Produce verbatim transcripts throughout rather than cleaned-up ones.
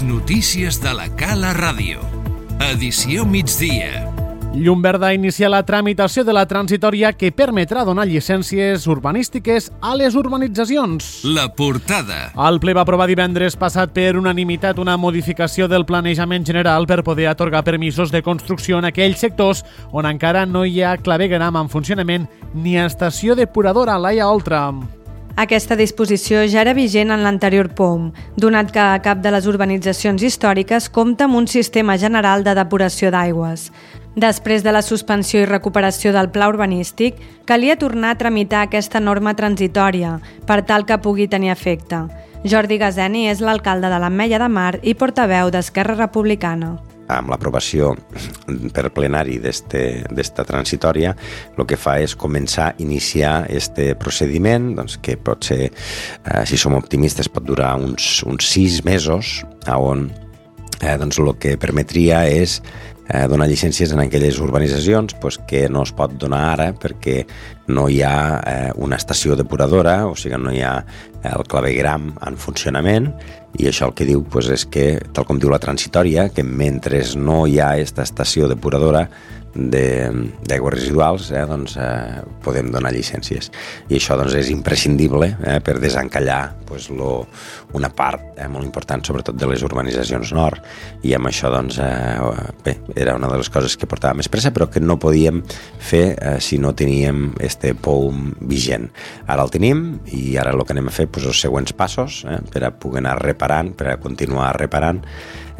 notícies de la Cala Ràdio. Edició migdia. Llum Verda inicia la tramitació de la transitòria que permetrà donar llicències urbanístiques a les urbanitzacions. La portada. El ple va aprovar divendres passat per unanimitat una modificació del planejament general per poder atorgar permisos de construcció en aquells sectors on encara no hi ha clavegueram en funcionament ni estació depuradora a Laia Oltra. Aquesta disposició ja era vigent en l'anterior P O M, donat que cap de les urbanitzacions històriques compta amb un sistema general de depuració d'aigües. Després de la suspensió i recuperació del pla urbanístic, calia tornar a tramitar aquesta norma transitòria per tal que pugui tenir efecte. Jordi Gazeni és l'alcalde de l'Ametlla de Mar i portaveu d'Esquerra Republicana. Amb l'aprovació per plenari d'esta transitòria, el que fa és començar a iniciar aquest procediment, doncs, que pot ser, eh, si som optimistes, pot durar uns, uns sis mesos, on eh, doncs, el que permetria és eh, donar llicències en aquelles urbanitzacions pues, que no es pot donar ara perquè no hi ha eh, una estació depuradora, o sigui, no hi ha el clavegueram en funcionament, i això el que diu pues, és que, tal com diu la transitòria, que mentre no hi ha aquesta estació depuradora d'aigües residuals, eh, doncs, eh, podem donar llicències. I això doncs, és imprescindible eh, per desencallar pues, lo, una part eh, molt important, sobretot de les urbanitzacions nord, i amb això doncs, eh, bé, era una de les coses que portava més pressa, però que no podíem fer eh, si no teníem este P O M vigent. Ara el tenim i ara el que anem a fer doncs, els següents passos eh, per a poder anar reparant, per a continuar reparant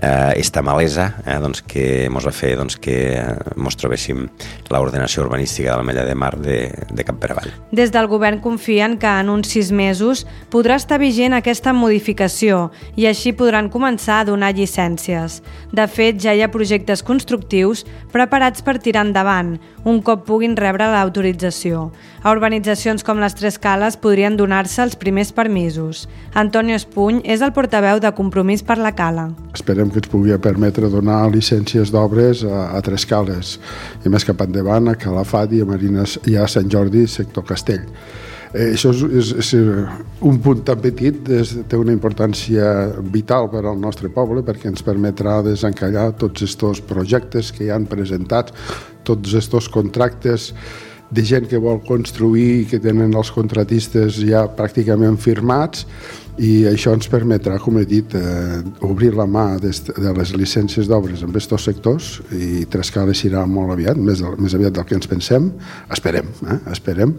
eh, esta malesa eh, doncs, que ens va fer doncs, que ens trobéssim l'ordenació urbanística de l'Ametlla de Mar de, de cap per avall. Des del govern confien que en uns sis mesos podrà estar vigent aquesta modificació i així podran començar a donar llicències. De fet, ja hi ha projectes constructius preparats per tirar endavant, un cop puguin rebre l'autorització. A urbanitzacions com les Tres Cales podrien donar-se els primers permisos. Antonio Espuny és el portaveu de Compromís per la Cala. Esperem que ens pugui permetre donar llicències d'obres a, a Tres Cales i més cap endavant a Calafat i a Marines i a Sant Jordi, sector Castell. Eh, això és, és, és un punt tan petit, és, té una importància vital per al nostre poble perquè ens permetrà desencallar tots aquests projectes que hi han presentats, tots aquests contractes de gent que vol construir i que tenen els contratistes ja pràcticament firmats, i això ens permetrà, com he dit, eh, obrir la mà de les llicències d'obres en aquests sectors, i Tres Cales irà molt aviat, més, més aviat del que ens pensem, esperem, eh? esperem.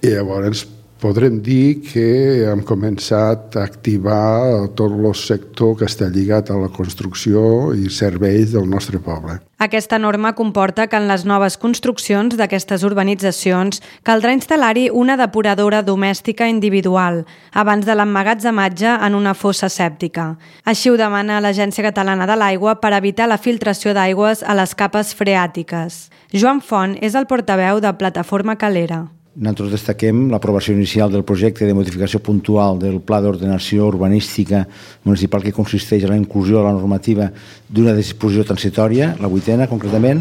I llavors podrem dir que hem començat a activar tot el sector que està lligat a la construcció i serveis del nostre poble. Aquesta norma comporta que en les noves construccions d'aquestes urbanitzacions caldrà instal·lar-hi una depuradora domèstica individual abans de l'emmagatzematge en una fossa sèptica. Així ho demana l'Agència Catalana de l'Aigua per evitar la filtració d'aigües a les capes freàtiques. Joan Font és el portaveu de Plataforma Calera. Nosaltres destaquem l'aprovació inicial del projecte de modificació puntual del Pla d'Ordenació Urbanística Municipal que consisteix en la inclusió a la normativa d'una disposició transitòria, la vuitena concretament,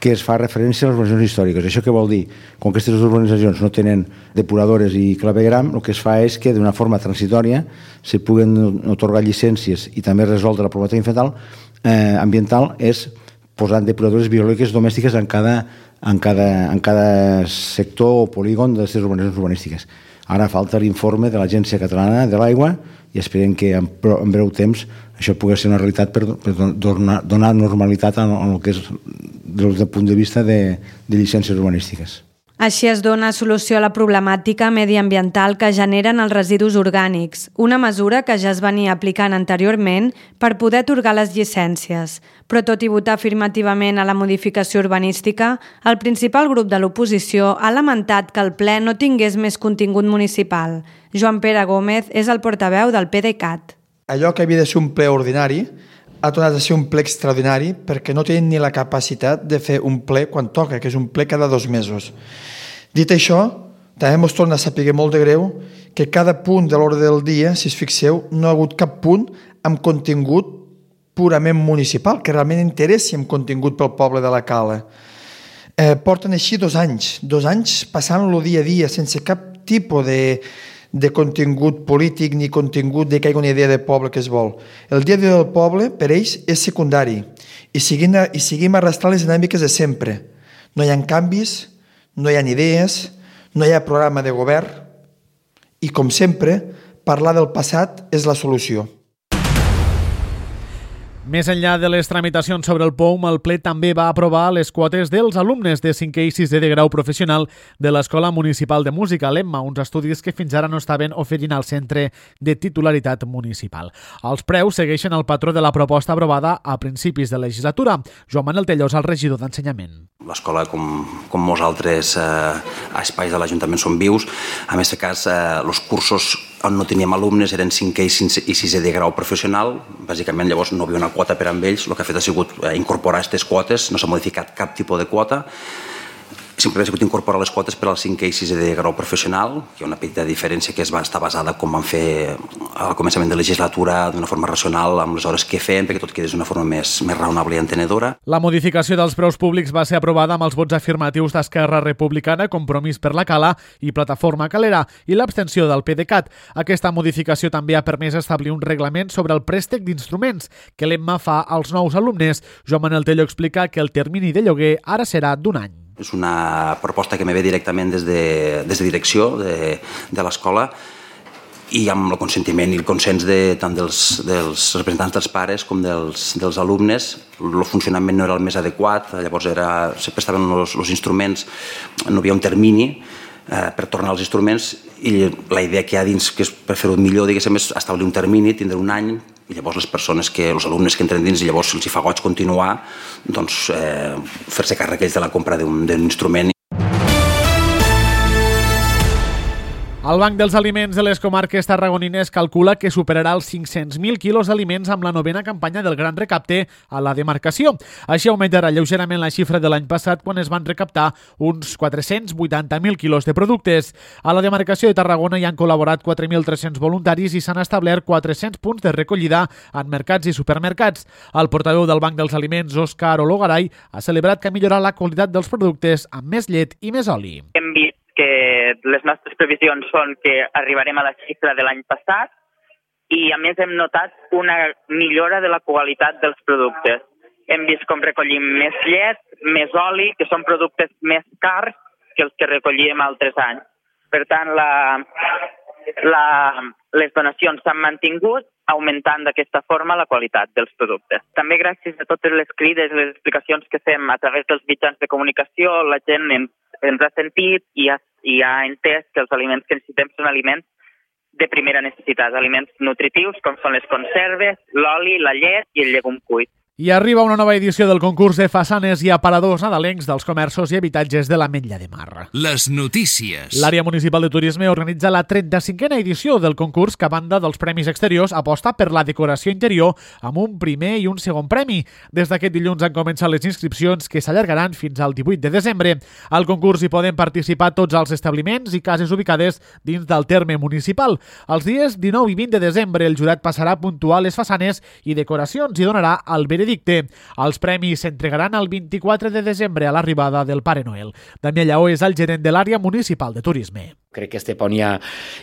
que es fa referència a les urbanitzacions històriques. Això què vol dir? Com que aquestes urbanitzacions no tenen depuradores i clavegueram, el que es fa és que d'una forma transitòria se puguen atorgar llicències i també resoldre la problemàtica ambiental, eh, ambiental és posant depuradores biològiques domèstiques en cada en cada, en cada sector o polígon d'aquestes urbanitzacions urbanístiques. Ara falta l'informe de l'Agència Catalana de l'Aigua i esperem que en, en breu temps això pugui ser una realitat per, per donar, donar normalitat en, en el que és des del punt de vista de, de llicències urbanístiques. Així es dona solució a la problemàtica mediambiental que generen els residus orgànics, una mesura que ja es venia aplicant anteriorment per poder atorgar les llicències. Però tot i votar afirmativament a la modificació urbanística, el principal grup de l'oposició ha lamentat que el ple no tingués més contingut municipal. Joan Pere Gómez és el portaveu del P D C A T. Allò que havia de ser un ple ordinari ha tornat a ser un ple extraordinari perquè no tenen ni la capacitat de fer un ple quan toca, que és un ple cada dos mesos. Dit això, també ens torna a saber molt de greu que cada punt de l'ordre del dia, si es fixeu, no ha hagut cap punt amb contingut purament municipal, que realment interessi amb contingut pel poble de la Cala. Eh, porten així dos anys, dos anys passant-lo dia a dia sense cap tipus de, de contingut polític ni contingut de que hi hagi una idea de poble que es vol. El dia a dia del poble, per ells, és secundari i seguim, i seguim arrastrant les dinàmiques de sempre. No hi ha canvis, no hi ha idees, no hi ha programa de govern i, com sempre, parlar del passat és la solució. Més enllà de les tramitacions sobre el P O U M, el ple també va aprovar les quotes dels alumnes de cinquè i sisè de grau professional de l'Escola Municipal de Música, l'Emma, uns estudis que fins ara no estaven oferint al centre de titularitat municipal. Els preus segueixen el patró de la proposta aprovada a principis de legislatura. Joan Manel Tellós, el regidor d'Ensenyament. L'escola, com, com molts altres eh, espais de l'Ajuntament, són vius. En aquest cas, eh, els cursos on no teníem alumnes eren cinquè i sisè de grau professional. Bàsicament, llavors, no hi havia una quota per amb ells. El que ha fet ha sigut incorporar aquestes quotes, no s'ha modificat cap tipus de quota. Simplement ha sigut incorporar les quotes per al cinquè i sisè de grau professional, que hi ha una petita diferència que es va estar basada com van fer al començament de legislatura d'una forma racional amb les hores que feien, perquè tot quedés d'una forma més, més raonable i entenedora. La modificació dels preus públics va ser aprovada amb els vots afirmatius d'Esquerra Republicana, Compromís per la Cala i Plataforma Calera, i l'abstenció del PDeCAT. Aquesta modificació també ha permès establir un reglament sobre el préstec d'instruments que l'Emma fa als nous alumnes. Joan Manel Telló explica que el termini de lloguer ara serà d'un any. És una proposta que me ve directament des de, des de direcció de, de l'escola i amb el consentiment i el consens de, tant dels, dels representants dels pares com dels, dels alumnes. El funcionament no era el més adequat, llavors era, sempre estaven els, els instruments, no hi havia un termini eh, per tornar als instruments i la idea que hi ha dins, que és per fer-ho millor, diguéssim, és establir un termini, tindre un any, i llavors les persones, que, els alumnes que entren dins, i llavors els hi fa goig continuar, doncs eh, fer-se càrrec ells de la compra d'un instrument. El Banc dels Aliments de les comarques tarragonines calcula que superarà els cinc-cents mil quilos d'aliments amb la novena campanya del Gran Recapte a la demarcació. Així augmentarà lleugerament la xifra de l'any passat, quan es van recaptar uns quatre-cents vuitanta mil quilos de productes. A la demarcació de Tarragona hi han col·laborat quatre mil tres-cents voluntaris i s'han establert quatre-cents punts de recollida en mercats i supermercats. El portaveu del Banc dels Aliments, Òscar Ologaray, ha celebrat que ha millorat la qualitat dels productes amb més llet i més oli. Hem vist que les nostres previsions són que arribarem a la xifra de l'any passat i, a més, hem notat una millora de la qualitat dels productes. Hem vist com recollim més llet, més oli, que són productes més cars que els que recollíem altres anys. Per tant, la, la, les donacions s'han mantingut, augmentant d'aquesta forma la qualitat dels productes. També gràcies a totes les crides i les explicacions que fem a través dels mitjans de comunicació, la gent ens, ens ha sentit i ha, i ha entès que els aliments que necessitem són aliments de primera necessitat, aliments nutritius com són les conserves, l'oli, la llet i el llegum cuit. I arriba una nova edició del concurs de façanes i aparadors nadalencs dels comerços i habitatges de l'Ametlla de Mar. Les notícies. L'Àrea Municipal de Turisme organitza la trenta-cinquena edició del concurs que, a banda dels premis exteriors, aposta per la decoració interior amb un primer i un segon premi. Des d'aquest dilluns han començat les inscripcions, que s'allargaran fins al divuit de desembre. Al concurs hi poden participar tots els establiments i cases ubicades dins del terme municipal. Els dies dinou i vint de desembre el jurat passarà a puntuar les façanes i decoracions i donarà el veredicte. Els premis s'entregaran el vint-i-quatre de desembre a l'arribada del Pare Noel. Damià Lleó és el gerent de l'Àrea Municipal de Turisme. Crec que Estepona ja,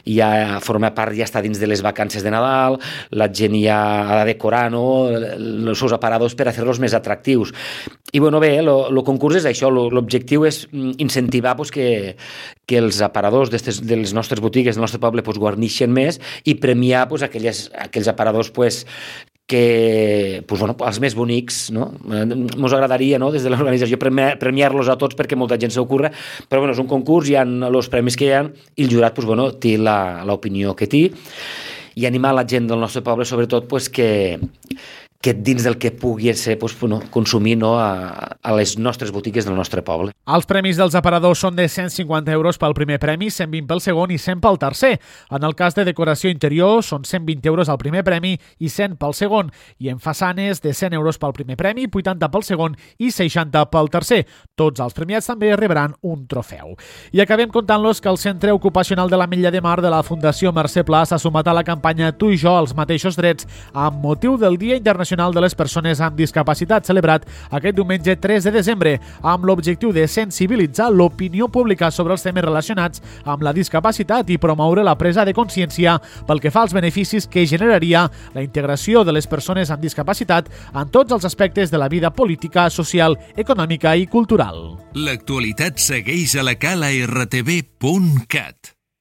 ja forma part, ja està dins de les vacances de Nadal, la gent ja ha de decorar, no?, els seus aparadors per a fer-los més atractius. I bueno, bé, el concurs és això, l'objectiu és incentivar pues, que, que els aparadors de les nostres botigues del nostre poble pues, guarnixen més i premiar pues, aquelles, aquells aparadors pues, que, pues, bueno, els més bonics, no? Ens agradaria, no?, des de l'organització premiar-los a tots perquè molta gent s'ocorre, però bueno, és un concurs, hi ha els premis que hi ha i el jurat pues, bueno, té l'opinió que té i animar la gent del nostre poble sobretot pues, que que dins del que pugui ser pues, no, consumir no, a, a les nostres botigues del nostre poble. Els premis dels aparadors són de cent cinquanta euros pel primer premi, cent vint pel segon i cent pel tercer. En el cas de decoració interior són cent vint euros al primer premi i cent pel segon. I en façanes de cent euros pel primer premi, vuitanta pel segon i seixanta pel tercer. Tots els premiats també rebran un trofeu. I acabem contant-los que el Centre Ocupacional de l'Ametlla de Mar de la Fundació Mercè Pla s'ha sumat a la campanya Tu i jo, els mateixos drets, amb motiu del Dia Internacional Internacional de les Persones amb Discapacitat, celebrat aquest diumenge tres de desembre, amb l'objectiu de sensibilitzar l'opinió pública sobre els temes relacionats amb la discapacitat i promoure la presa de consciència pel que fa als beneficis que generaria la integració de les persones amb discapacitat en tots els aspectes de la vida política, social, econòmica i cultural. L'actualitat segueix a la cala r t v punt cat.